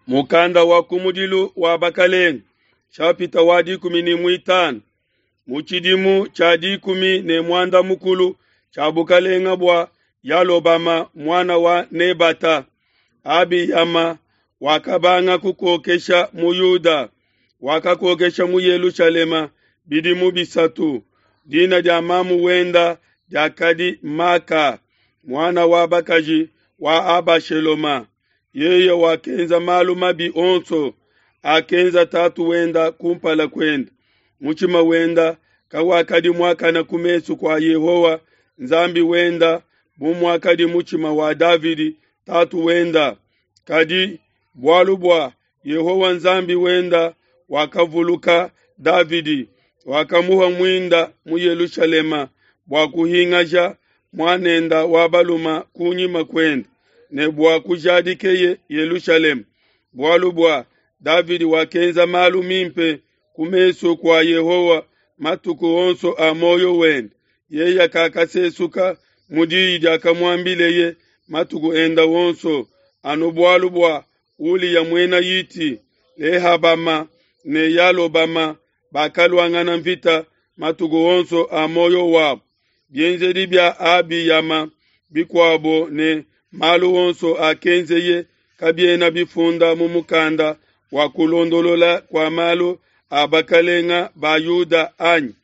Mukanda wa kumudilu wa Bakelenge, shapita wa 15. Mu tshidimu tshia 15 tshia bukalenga bua Yalobama muana wa Nebata, Abiyama wakabanga kukokesha mu Yuda, wakakokesha mu Yelushalema bidimu 3. Dina dia mamu wenda diakadi Maka, muana wa bakaji wa Abasheloma. Yeye wakenza malu mabi onso akenza tatu wenda kumpala kuende. Mutshima wenda kawakadi muakane ku mesu kua Yehowa Nzambi wenda bu muakadi mutshima wa Davidi tatu wenda. Kadi bualu bua Yehowa Nzambi wenda wakavuluka Davidi, wakamuha muinda mu Yelushalema bua kuhingaja muanenda wa baluma kunyima kuende ne bua kujadikeye Yelushalema. Bualu bua Davidi wakenza malu mimpe ku mesu kua Yehowa matuku onso a moyo wende. Yeye kakasesuka mu diyi diakamuambileye matuku enda wonso, anu bualu bua Uliya muena Hiti, Lehabama ne Yalobama bakaluangana mvita matuku onso a moyo wabo. Bienzedi bia Abiyama bikuabo ne malu onso akenzeye kabiena bifunda mu mukanda wa kulondolola kua malu a bakalenga ba Yuda anyi?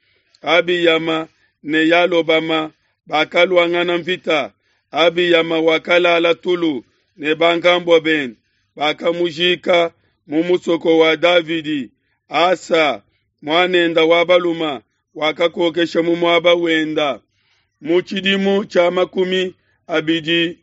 Abiyama ne Yalobama bakaluangana mvita. Abiyama wakalala tulu ne bankambua bende, bakamujika mu musoko wa Davidi. Asa muanenda wa baluma wakakokesha mu muaba wenda. Mu tshidimu tshia 20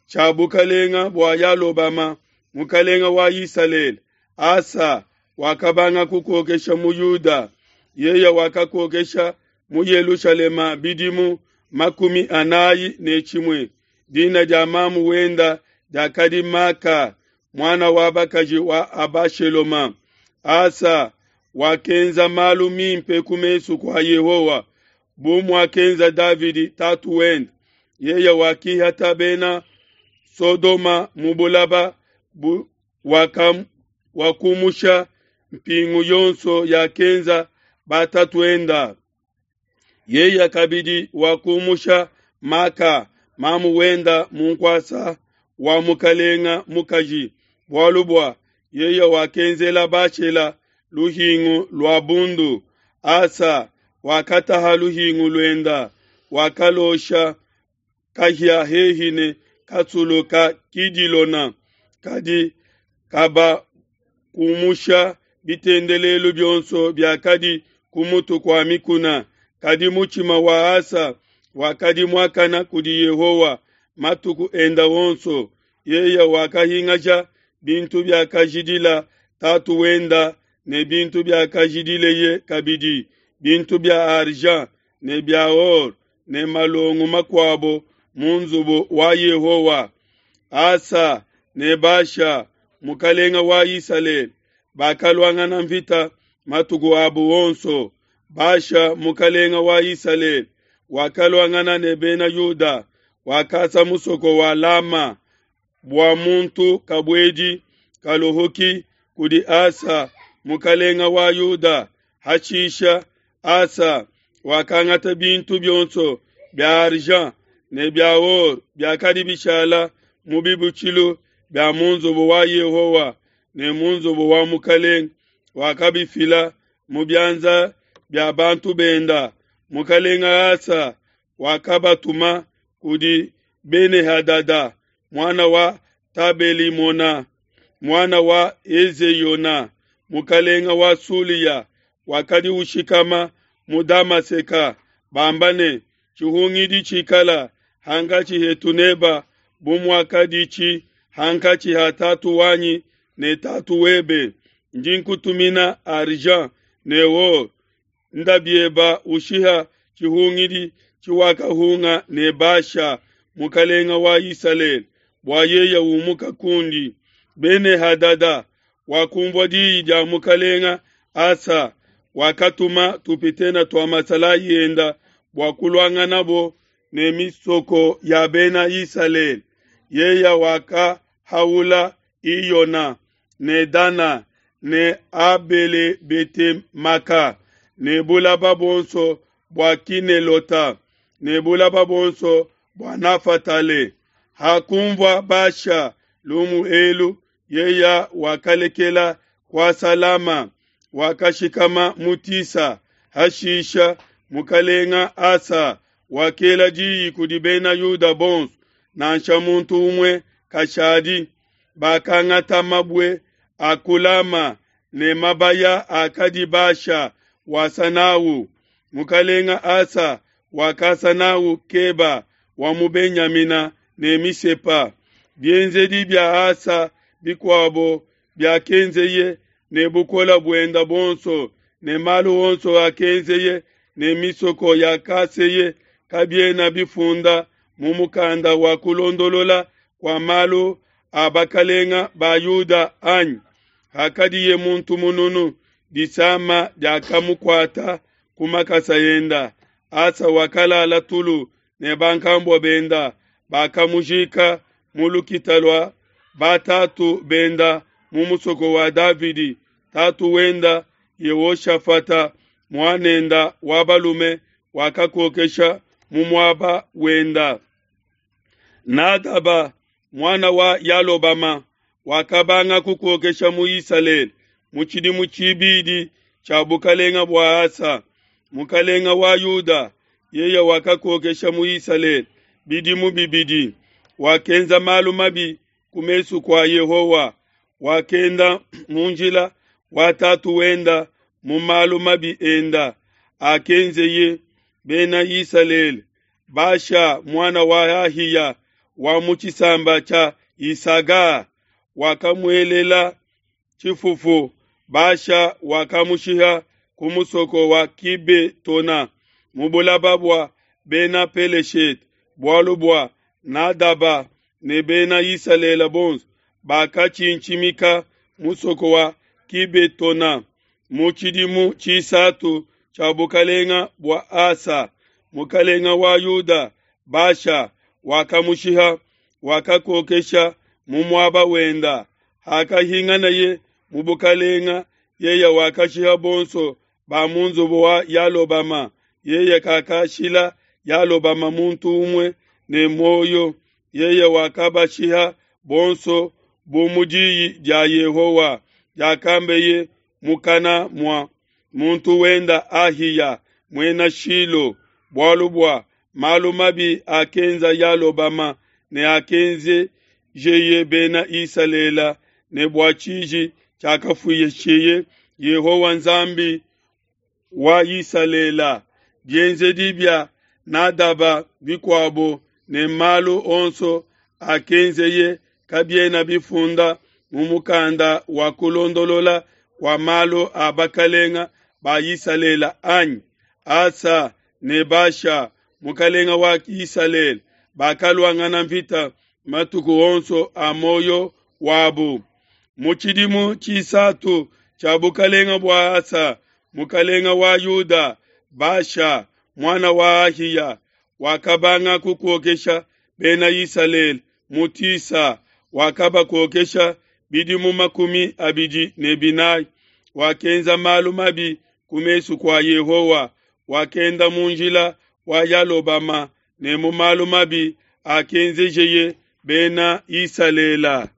tshia bukalenga bua Yalobama mukalenga wa Isalele, Asa wakabanga kukokesha mu Yuda. Yeye wakakokesha mu Yelushalema bidimu 41. Dina dia mamu wenda diakadi Maka, muana wa bakaji wa Abasheloma. Asa wakenza malu mimpe ku mesu kua Yehowa, bu muakenza Davidi tatu wende. Yeye wakihata bena Sodoma mu bulaba bu wakumusha mpingu yonso yakenza batatuenda. Yeye kabidi wakumusha Maka mamu wenda mu nkuasa wa mukalenga mukaji, bualu bua yeye wakenzela Bashela luhingu lua bundu. Asa wakataha luhingu luenda, wakalosha kahia hehi ne kasulu ka Kidilona, kadi kaba kumusha bitendelelu bionso biakadi ku mutu kua mikuna. Kadi mutshima wa Asa wakadi muakana kudi Yehowa matuku enda wonso. Yeye wakahingaja bintu biakajidila tatu wenda ne bintu biakajidileye kabidi, bintu bia argent ne bia or ne malongo makuabo mu nzubu wa Yehowa. Asa ne Basha mukalenga wa Isalele bakaluangana mvita matuku abu wonso. Basha mukalenga wa Isalele wakaluangana ne bena Yuda, wakasa musoko wa Lama bua muntu kabuedi kaluhuki kudi Asa mukalenga wa Yuda. Hashisha Asa wakangata bintu bionso bia argent ne bia or biakadi bishala mu bibutshilu bia mu nzubu wa Yehowa ne mu nzubu wa mukalenga, wakabifila mu bianza bia bantu benda. Mukalenga Asa wakabatuma kudi Bene-Hadada muana wa Tabelimona muana wa Ezeyona mukalenga wa Sulia, wakadi ushikama mu Damaseka, bamba ne, tshihungidi tshikala hankachi hetu neba bu muakadichi hankachi ha tatu wanyi ne tatu webe. Ndi nkutumina argent ne or, ndabieba ushiha tshihungidi tshiwakahunga ne Basha mukalenga wa Isalele, bua yeye umuka kundi. Bene-Hadada wakumvua diyi dia mukalenga Asa, wakatuma tupitena tua masalayi enda bua kuluanganabo ne misoko ya bena Isalele. Yeye wakahaula Iyona. ne Dana ne Abele-bete-maka ne bulaba buonso bua Kinelota ne bulaba buonso bua Nafatale. Hakunvua Basha lumu elu, yeya wakalekela kuasa Lama, wakashikama mu Tisa. Hashisha mukalenga Asa wakela diyi kudi Bena Yuda bonso, nansha muntu umue kashadi. Bakangata mabue a ku Lama ne mabaya akadi Basha wasa n'au. Mukalenga Asa wakasa n'au Keba wa mu Benyamina ne Misepa. Bienzedi bia Asa bikuabo biakenzeye ne bukole buenda buonso ne malu onso akenzeye ne misoko yakaseye kabiena bifunda mu mukanda wa kulondolola kua malu a bakalenga ba Yuda anyi? Hakadiye muntu mununu, disama diakamukuata ku makasa enda. Asa wakalala tulu ne bankambua benda, bakamujika mu lukita lua batatu benda mu musoko wa Davidi, tatu wenda. Yehoshafata muanenda wa balume wakakokesha mu muaba wenda. Nadaba muana wa Yalobama wakabanga kukokesha mu Isalele mu tshidimu tshibidi tshia bukalenga bua Asa, mukalenga wa Yuda. Yeye wakakokesha mu Isalele bidimu bibidi. Wakenza malu mabi ku mesu kua Yehowa, wakenda mu njila wa tatu wenda mu malu mabi enda akenzeye Bena Isalele. Basha muana wa Ahiya wa mu tshisamba tshia Isaga wakamuelela tshifufu. Basha wakamushiha ku musoko wa Kibetona mu bulaba bua Bena Peleshete, bualu bua Nadaba ne Bena Isalele bonso bakatshintshimika musoko wa Kibetona mu tshidimu tshisatu tshia bukalenga bua Asa, mukalenga wa Yuda. Basha wakamushiha, wakakokesha mu muaba wenda. Hakahinganaye mu bukalenga, yeye wakashiha bonso ba mu nzubu wa Yalobama. Yeye kakashila Yalobama muntu umue ne muoyo, yeye wakabashiha bonso bu mu diyi dia Yehowa diakambeye mukana mua muntu wenda Ahiya muena Shilo, bualu bua malu mabi akenza Yalobama ne akenzejeye Bena Isalele ne bua tshiji tshiakafuisheye Yehowa Nzambi wa Isalele. Bienzedi bia Nadaba bikuabo ne malu onso akenzeye kabiena bifunda mu mukanda wa kulondolola kua malu a bakalenga ba Isalele anyi? Asa ne Basha mukalenga wa Isalele bakaluangana mvita matuku onso a muoyo wabu. Mu tshidimu tshisatu tshia bukalenga bua Asa mukalenga wa Yuda, Basha muana wa Ahiya wakabanga kukokesha Bena Isalele mu Tisa, wakabakokesha bidimu 24. Wakenza malu mabi ku mesu kua Yehowa, wakenda mu njila wa Yalobama ne mu malu mabi akenzejeye Bena Isalele.